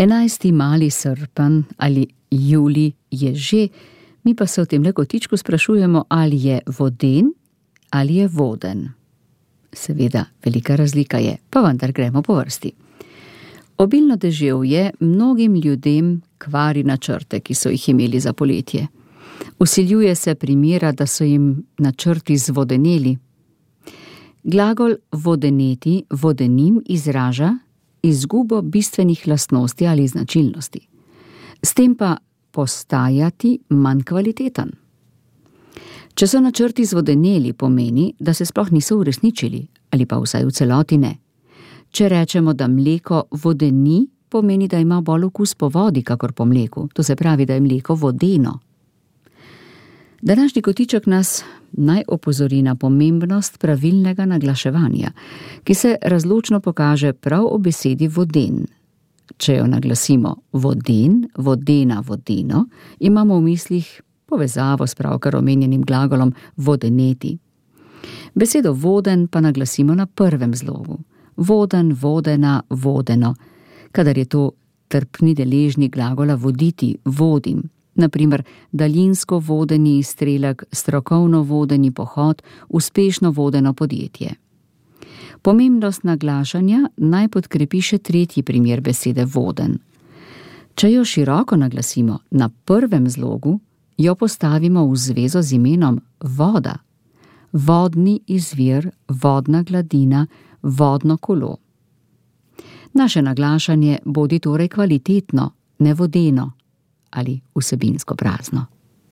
11. mali srpen ali julij je že, mi pa se v tem kotičku sprašujemo, ali je voden ali je voden. Seveda, velika razlika je, pa vendar gremo po vrsti. Obilno deževje mnogim ljudem kvari načrte, ki so jih imeli za poletje. Vsiljuje se primera, da so jim načrti zvodeneli. Glagol vodeneti, vodenim izraža izgubo bistvenih lastnosti ali značilnosti. S tem pa postajati manj kvaliteten. Če so načrti zvodeneli, pomeni, da se sploh niso uresničili, ali pa vsaj v celoti ne. Če rečemo, da mleko vodeni, pomeni, da ima bolj okus po vodi, kakor po mleku. To se pravi, da je mleko vodeno. Današnji kotiček nas naj opozori na pomembnost pravilnega naglaševanja, ki se razločno pokaže prav v besedi voden. Če jo naglasimo voden, vodena, vodeno, imamo v mislih povezavo s pravkar omenjenim glagolom vodeneti. Besedo voden pa naglasimo na prvem zlogu. Voden, vodena, vodeno, kadar je to trpni deležnik glagola voditi, vodim. Naprimer, daljinsko vodeni izstrelek, strokovno vodeni pohod, uspešno vodeno podjetje. Pomembnost naglašanja naj podkrepi še tretji primer besede voden. Če jo široko naglasimo na prvem zlogu, jo postavimo v zvezo z imenom voda. Vodni izvir, vodna gladina, vodno kolo. Naše naglašanje bodi torej kvalitetno, ne vodeno ali vsebinsko prazno.